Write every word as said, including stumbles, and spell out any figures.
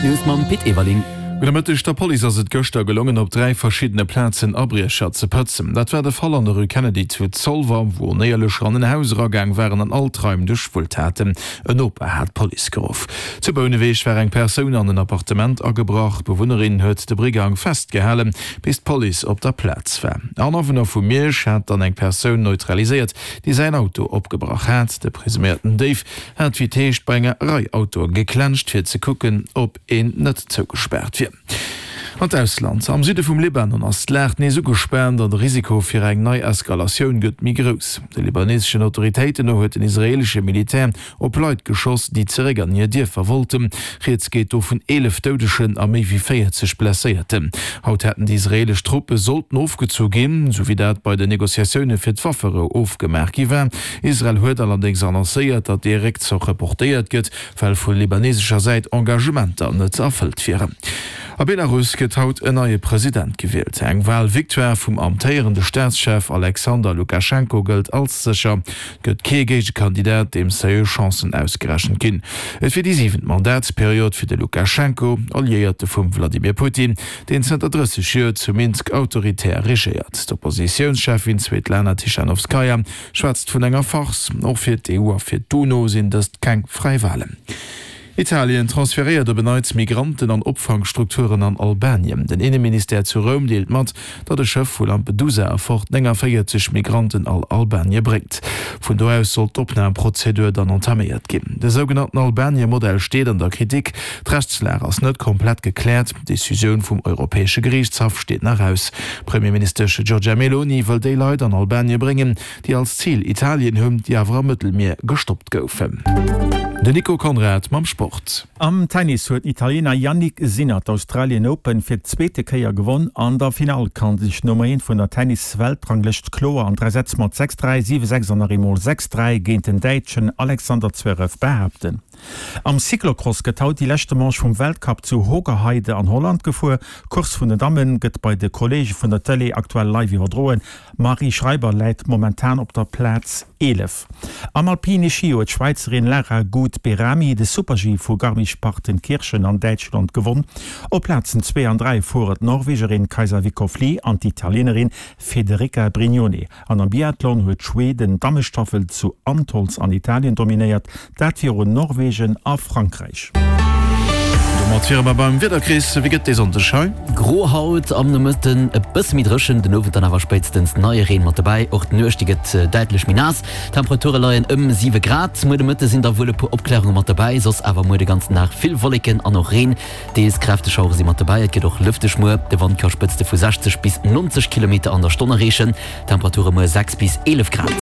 Hei d'News mam Pit Everling. Gudde Mëtteg, Der Police ass et gëschter gelongen, op dräi verschiddene Plazen Abriecher ze pëtzen. Dat war de Fall an der Rue Kennedy zu Zolwer, wou Onéierlecher an en Haus eragaang waren an all d'Raim duerchwullt haten. En Noper hat d'Police geruff. Zu Bouneweg war eng Persoun an en Appartement agebrach. D'Bewunnerin huet de Brigang festgehalen, bis d'Police op der Plaz war. En Awunner vu Miersch hat dann eng Persoun neutraliséiert, déi säin Auto opgebrach hat. De presuméierten Déif hat wéi et heescht bei enger Rei Autoe geklenscht, fir ze kucken, ob een net zougespaart wier. An d'Ausland, Am Süde vum Libanon ass d'Lag nees ugespaant an de Risiko fir eng nei Eskalatioun gëtt méi grouss. De libaneseschen Autoritéiten no huet den israeelesche Militär op Leit geschoss, déi zeréck an hir Dierfer wollten. Rieds geet do vun eelef Doudegen a méi wéi véierzeg Blesséierten. Haut hätten déi israeelesch Truppe sollten ofgezu ginn, sou wéi dat bei den Negociatioune fir d'Wafferou ofgemaach gi war. Israel huet allerdéngs annoncéiert, datt dee Réckzoch reportéiert gëtt, well vu libanesescher Säit Engagementer net erfëllt wieren. A Belarus gëtt haut en neie President gewielt. Eng Walvictoire vum amtéierende Staatschef Alexander Lukaschenko gëllt als sécher. Et gëtt kee Géigekandidat, deem seriö Chancen ausgerechent ginn. Et wier déi siwent Mandatsperiod fir de Lukaschenko, Alliéierte vum Wladimir Putin, deen zënter drësseg Joer zu Minsk autoritär regéiert. D'Oppositiounscheffin Svetlana Tichanowskaja schwätzt vun enger Farce. Och fir d'EU a fir d'UNO sinn dëst keng fräi Walen. Italien transferéiert op en Neits Migranten an Opfangstrukturen an Albanien. Den Inneministère zu Roum deelt mat, datt e Schëff vu Lampedusa erfort nénganvéierzeg Migranten al Albanie bréngt. Vun do aus soll d'Opnamprozedur dann entaméiert ginn. De sougenannten Albanie-Modell steet an der Kritik. D'Rechtslag ass net komplett gekläert. D'Decisioun vum Europäesche Geriichtshaff steet nach aus. D'Premierministesch Giorgia Meloni wëll déi Leit an Albanie bréngen, déi als Zil Italien hunn, déi awer am Mëttelmier gestoppt goufen. Den Nico Conrad mam Sport. Am Tennis huet den Italiener Jannik Sinner d'Australian Open fir d'zweete Kéier gewonn. An der Finall kann sech d'Nummer eent vun der Tennis-Weltranglëscht kloer an dräi Sätz mat sechs, dräi, siwe, sechs an nach eemol sechs, dräi géint den Däitschen Alexander Zverev behaapten. Am Cyclocross gëtt haut déi leschte Manche vum Weltcup zu Hoogerheide an Holland gefuer. D'Course vun den Damme gëtt bei de Kolleege vun der Tëlee aktuell live iwwerdroen. D'Marie Schreiber läit momentan op der Plaz eelef. Am Alpine Ski huet d'Schwäizerin Lara Gut-Behrami de Super-G vu Garmisch-Partenkirchen an Däitschland gewonn. Op Plazen zwee an dräi fueren d'Norwegerin Kajsa Vickhoff Lie an d'Italienerin Federica Brignone. An am Biathlon huet Schweden d'Dammestaffel zu Antholz an Italien dominéiert, dat virun Norwegen a Frankräich. Domat wiere mer beim Wieder, Chris. Wéi gëtt dee Sonndeg hei? Gro haut, am Nomëtten e bësse méi dréchen, den Owend dann awer spéitstens neie Reen mat dobäi. Och d'Nuecht, déi gëtt däitlech méi naass. D'Temperature leien ëm siwe Grad. Muer de Mëtte sinn da wuel e puer Opklärunge mat dobäi, soss awer muer de ganzen Dag vill Wolleken an och Reen. Deels kräfteg Schauere si mat dobäi. Et gëtt och lëfteg muer. De Wand ka Spëtzte vu sechzeg bis neunzeg Kilometer an der Stonn erreechen. Temperature muer sechs bis eelef Grad.